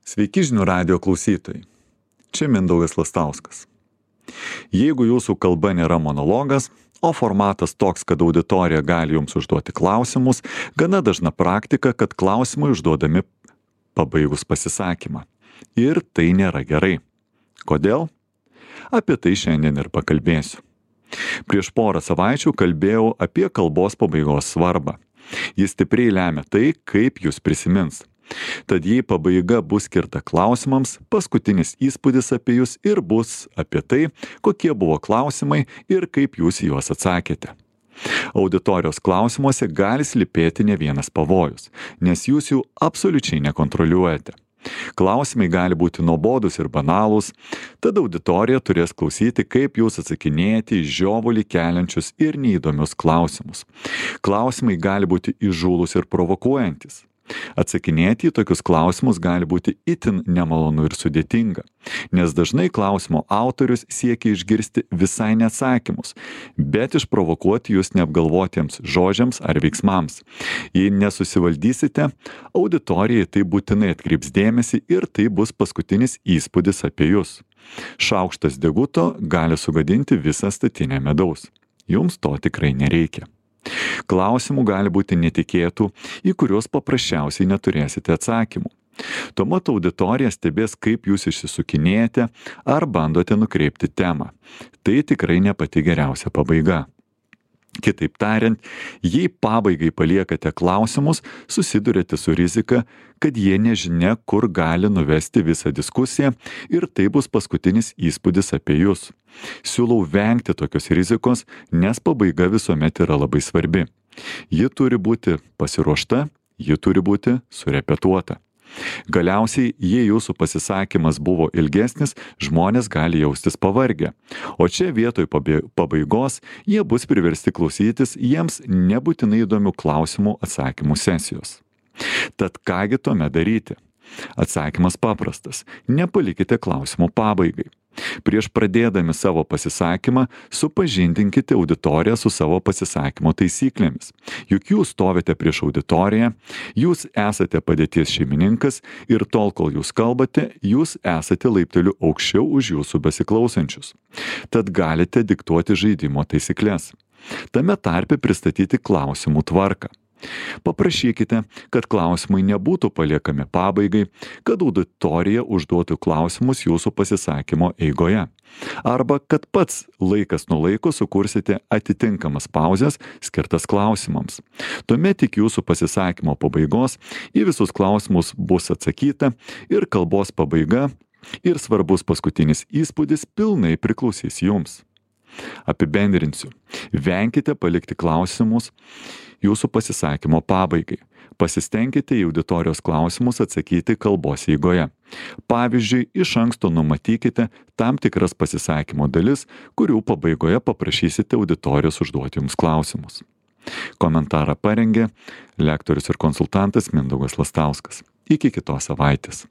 Sveiki žinių radijo klausytojai. Čia Mindaugas Lastauskas. Jeigu jūsų kalba nėra monologas, o formatas toks, kad auditorija gali jums užduoti klausimus, gana dažna praktika, kad klausimai užduodami pabaigus pasisakymą. Ir tai nėra gerai. Kodėl? Apie tai šiandien ir pakalbėsiu. Prieš porą savaičių kalbėjau apie kalbos pabaigos svarbą. Jis stipriai lemia tai, kaip jūs prisimins. Tad jei pabaiga bus skirta klausimams, paskutinis įspūdis apie jūs ir bus apie tai, kokie buvo klausimai ir kaip jūs į juos atsakėte. Auditorijos klausimuose gali slypėti ne vienas pavojus, nes jūs jų absoliučiai nekontroliuojate. Klausimai gali būti nuobodūs ir banalūs, tad auditorija turės klausyti, kaip jūs atsakinėjate į žiovulį keliančius ir neįdomius klausimus. Klausimai gali būti įžūlūs ir provokuojantis. Atsakinėti į tokius klausimus gali būti itin nemalonu ir sudėtinga, nes dažnai klausimo autorius siekia išgirsti visai ne atsakymus, bet išprovokuoti jūs neapgalvotiems žodžiams ar veiksmams. Jei nesusivaldysite, auditorijai tai būtinai atkreips dėmesį ir tai bus paskutinis įspūdis apie jūs. Šaukštas deguto gali sugadinti visą statinę medaus. Jums to tikrai nereikia. Klausimų gali būti netikėtų, į kuriuos paprasčiausiai neturėsite atsakymų. Tuomet auditorija stebės, kaip jūs išsisukinėjate ar bandote nukreipti temą. Tai tikrai ne pati geriausia pabaiga. Kitaip tariant, jei pabaigai paliekate klausimus, susidurėte su rizika, kad jie nežinia, kur gali nuvesti visą diskusiją ir tai bus paskutinis įspūdis apie jūs. Siūlau vengti tokios rizikos, nes pabaiga visuomet yra labai svarbi. Ji turi būti pasiruošta, ji turi būti surepetuota. Galiausiai, jei jūsų pasisakymas buvo ilgesnis, žmonės gali jaustis pavargę. O čia vietoj pabaigos jie bus priversti klausytis jiems nebūtinai įdomių klausimų atsakymų sesijos. Tad kągi tuomet daryti? Atsakymas paprastas. Nepalikite klausimų pabaigai. Prieš pradėdami savo pasisakymą, supažindinkite auditoriją su savo pasisakymo taisyklėmis. Juk jūs stovite prieš auditoriją, jūs esate padėties šeimininkas ir tol, kol jūs kalbate, jūs esate laipteliu aukščiau už jūsų besiklausančius. Tad galite diktuoti žaidimo taisyklės. Tame tarpe pristatyti klausimų tvarką. Paprašykite, kad klausimai nebūtų paliekami pabaigai, kad auditorija užduotų klausimus jūsų pasisakymo eigoje. Arba kad pats laikas nuo laiko sukursite atitinkamas pauzes skirtas klausimams. Tuomet iki jūsų pasisakymo pabaigos į visus klausimus bus atsakyta ir kalbos pabaiga ir svarbus paskutinis įspūdis pilnai priklausys jums. Apibendrinsiu. Venkite palikti klausimus jūsų pasisakymo pabaigai. Pasistengkite į auditorijos klausimus atsakyti kalbos eigoje. Pavyzdžiui, iš anksto numatykite tam tikras pasisakymo dalis, kurių pabaigoje paprašysite auditorijos užduoti jums klausimus. Komentarą parengė lektorius ir konsultantas Mindaugas Lastauskas. Iki kitos savaitės.